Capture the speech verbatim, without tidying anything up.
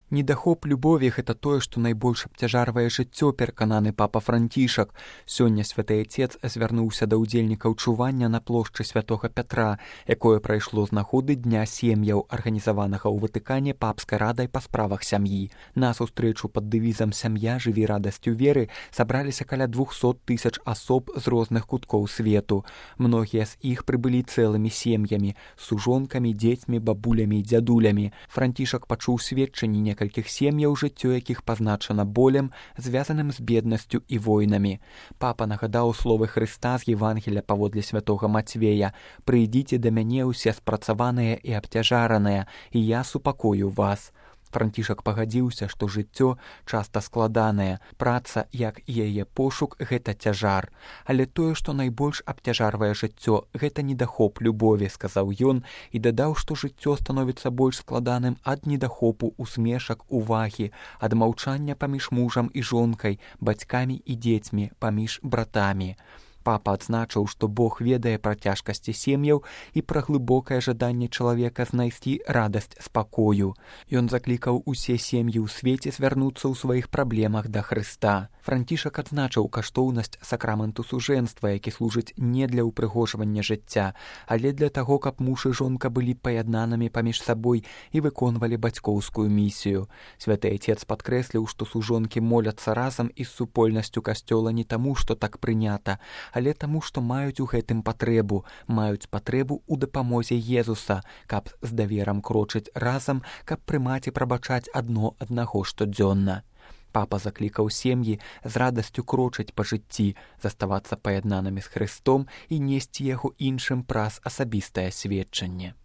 Недахоп любові гэта тое, што найбольш абцяжарвае жыццё, перакананы папа Францішак. Сёння святы Отец звярнуўся да ўдзельнікаў чування на плошчы святога Пятра, якое прайшло з нагоды дня сем'яў, арганізаванага ў Ватыкане папскай радай па справах сям'і. На сустрэчу пад дэвізам «Сям'я, жыві радасцю веры» сабраліся каля двухсот тысяч асоб з розных куткоў свету. Многія з іх прыбылі цэлымі сем'ямі, сужонкамі, дзецьмі, бабулямі і дзядулямі. Францішак пачуў сведчанні некалькіх сем'яў, жыццё якіх пазначана болем, звязаным з беднасцю і войнамі. Папа нагадаў словы Хрыста з Евангелія паводле святога Мацвея: «Прыйдзіце да мяне ўсе спрацаваныя і абцяжараныя, і я супакою вас». Францішак пагадзіўся, што жыццё часта складанае, праца, як і яе пошук, гэта цяжар. Але тое, што найбольш абцяжарвае жыццё, гэта недахоп любові, сказаў ён, і дадаў, што жыццё становіцца больш складаным ад недахопу усмешак, увагі, ад маўчання паміж мужам і жонкай, бацькамі і дзецьмі, паміж братамі. Папа адзначыў, што Бог ведае пра цяжкасці сем'яў і пра глыбокае жаданне чалавека знайсці радасць спакою. Ён заклікаў усе сем'і ў свеце звярнуцца ў сваіх праблемах да Хрыста. Францішак адзначыў каштоўнасць сакраменту сужэнства, які служыць не для ўпрыгожвання жыцця, але для таго, каб муж і жонка былі паяднанымі паміж сабой і выконвалі бацькоўскую місію. Святы Отец падкрэсліў, што сужонкі моляцца разам і з супольнасцю касцёла не таму, што так прынята, але таму, што маюць у гэтым патрэбу, маюць патрэбу ў дапамозе Езуса, каб з даверам крочыць разам, каб прымаць і прабачаць адно аднаго штодзённа. Папа заклікаў сем'і з радасцю крочыць па жыцці, заставацца паяднанымі з Хрыстом і несці яго іншым праз асабістае сведчанне.